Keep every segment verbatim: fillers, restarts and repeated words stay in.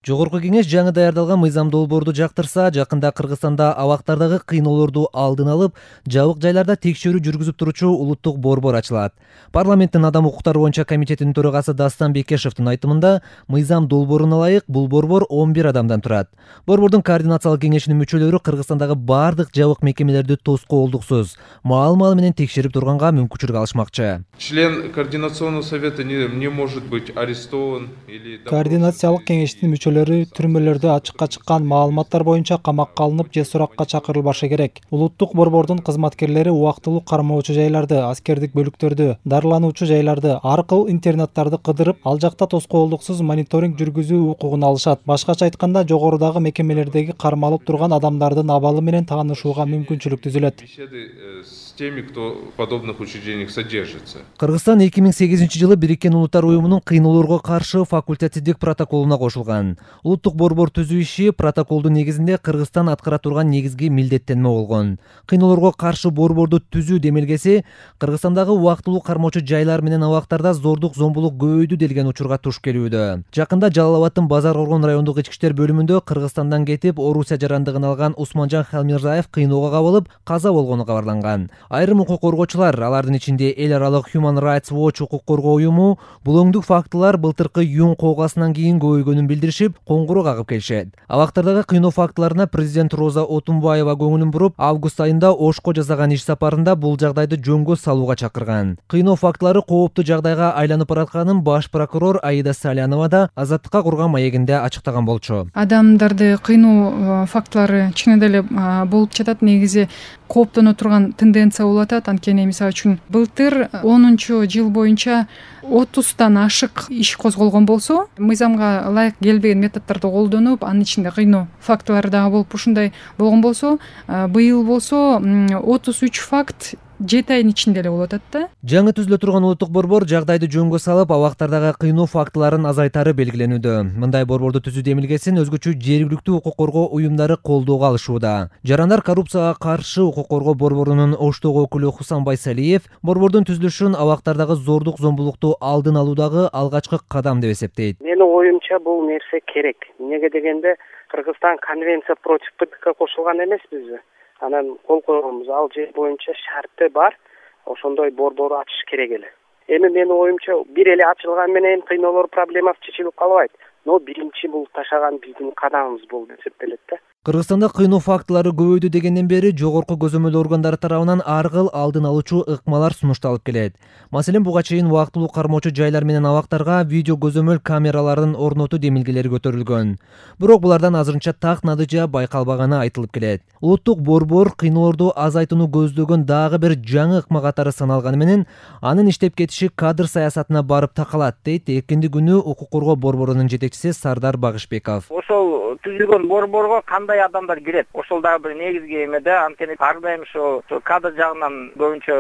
Жогорку кеңеш жаңы даярдалган мыйзам долбоорду жактырса, жакында Кыргызстанда абактардагы кыйноолорду алдын алып, жабык жайларда текшерүү жүргүзүп туручу улуттук борбор ачылат. Парламенттин Адам укуктары боюнча комитетинин төрагасы Дастан Бекешевдин айтымында, мыйзам долбооруна ылайык бул борбор он бир адамдан турат. Борбордун координациялык кеңешинин мүчөлөрү Кыргызстандагы бардык жабык мекемелерди тоскоолдуксуз, маал-маал менен текшерип турганга мүмкүнчүлүк алышмакчы. Член координационного совета не, не может быть арестован или... Координациялык кеңештин мүчөлөрү түрмөлөрдө ачыкка чыккан маалыматтар боюнча камакка алынып же суракка чакырылбашы керек. Улуттук борбордун кызматкерлери убактылуу кармоочу жайларды, аскердик бөлүктөрдү, дарылануучу жайларды, аркыл интернаттарды кыдырып, ал жакта тоскоолдуксуз мониторинг жүргүзүү укугун алышат. Башкача айтканда, жогорудагы мекемелердеги кармалып турган адамдардын абалы менен таанышууга мүмкүнчүлүк түзүлөт. Теми, кто в подобных учреждениях содержится. Кыргызстан эки миң сегизинчи жылы Бириккен Улуттар уюмунун кыйноолорго каршы факультативдик протоколуна кошулган. Улуттук борбор түзүү иши протоколдун негизинде Кыргызстан аткара турган негизги милдеттенме болгон. Кыйноолорго каршы борборду түзүү демилгеси Кыргызстандагы убактылуу кармоочу жайлар менен абактарда зордук зомбулук көбөйдү делген учурга туш келүүдө. Жакында Жалал Абадтын Базар Коргон райондук ички иштер бөлүмүндө Кыргызстандан кетип, Орусия жарандыгын алган Усманжан Халмирзаев кыйноого кабылып, каза болгону кабарланган. Айрым укук коргоочулар, алардын ичинде эл аралык Human Rights Watch укук коргоо уюму, бул өңдүк фактылар былтыркы июнь коогасынан кийин көбөйгөнүн билдиришип, коңгуроо кагып келишет. Абактардагы кыйноо фактыларына президент Роза Отунбаева көңүлүн буруп, август айында Ошко жасаган иш сапарында бул жагдайды жөнгө салууга чакырган. Кыйноо фактылары кооптуу жагдайга айланып баратканын баш прокурор Аида Салянова да Азаттыкка курган маегинде ачыктаган болчу. Адамдарды кыйноо фактылары чын эле болуп жатат. Негизи кооптоно турган тенденция болуп атат. Анткени мисалы үчүн былтыр онунчу жыл боюнча отуздан ашык иш козголгон болсо, мыйзамга ылайык келбеген методдорду колдонуп, анын ичинде кыйноо фактылары дагы болуп ушундай болгон болсо, быйыл болсо отуз үч факт жети айдын ичинде эле болуп атат да. Жаңы түзүлө турган улуттук борбор жагдайды жөнгө салып, абактардагы кыйноо фактыларын азайтары белгиленүүдө. Мындай борборду түзүү демилгесин өзгөчө жергиликтүү укук коргоо уюмдары колдоого алышууда. Жарандар коррупцияга каршы укук коргоо борборунун Оштогу өкүлү Хусан Байсалиев борбордун түзүлүшүн абактардагы зордук зомбулукту алдын алуудагы алгачкы кадам деп эсептейт. Менин оюмча бул нерсе керек. Эмнеге дегенде, Кыргызстан конвенция против ПКК кошулган эмеспизби? Анан кол койгонбуз, ал жер боюнча шарты бар, ошондой борбор ачыш керек эле. Эми менин оюмча бир эле ачылган менен кыйноолор проблемасы чечилип калбайт. Но биринчи бул ташаган биздин кадамыбыз болуп эсептелет да. Кыргызстанда кыйноо фактылары көбөйдү дегенден бери жогорку көзөмөл органдары тарабынан ар кыл алдын алуучу ыкмалар сунушталып келет. Маселен, буга чейин убактылуу кармоочу жайлар менен абактарга видео көзөмөл камераларын орнотуу демилгелери көтөрүлгөн. Бирок булардан азырынча так натыйжа байкалбаганы айтылып келет. Улуттук борбор кыйноолорду азайтууну көздөгөн дагы бир жаңы ыкма катары саналганы менен, анын иштеп кетиши кадр саясатына барып такалат, дейт экинди күнү укук коргоо борборунун жетекчиси Сардар Багышбеков. Ошол түзүлгөн борборго кандай адамдар кирет? Ошол дагы бир негизги эме да. Анткени ар дайым ошо кадр жагынан көбүнчө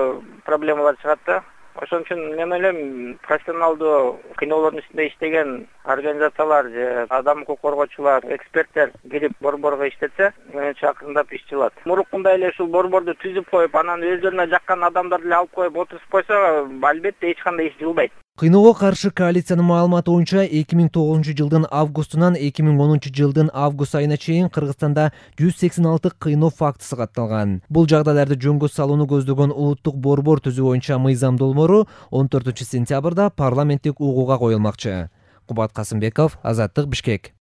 проблемалар чыгат да. Ошон үчүн мен ойлойм, профессионалдуу кыйноолордун үстүндө иштеген организациялар же адам укук коргоочулар, эксперттер кирип борборго иштетсе, менимче акырындап иш жылат. Мурукундай эле ушул борборду түзүп коюп, анан өздөрүнө жаккан адамдарды эле алып коюп отуруп койсо, албетте эч кандай иш жылбайт. Кыйноого каршы коалициянын маалыматы боюнча эки миң тогузунчу жылдын августунан эки миң онунчу жылдын август айына чейин Кыргызстанда жүз сексен алты кыйноо фактысы катталган. Бул жагдайларды жөнгө салууну көздөгөн улуттук борбор түзүү боюнча мыйзам долбоору он төртүнчү сентябрда парламенттик угууга коюлмакчы. Кубат Касымбеков, Азаттык, Бишкек.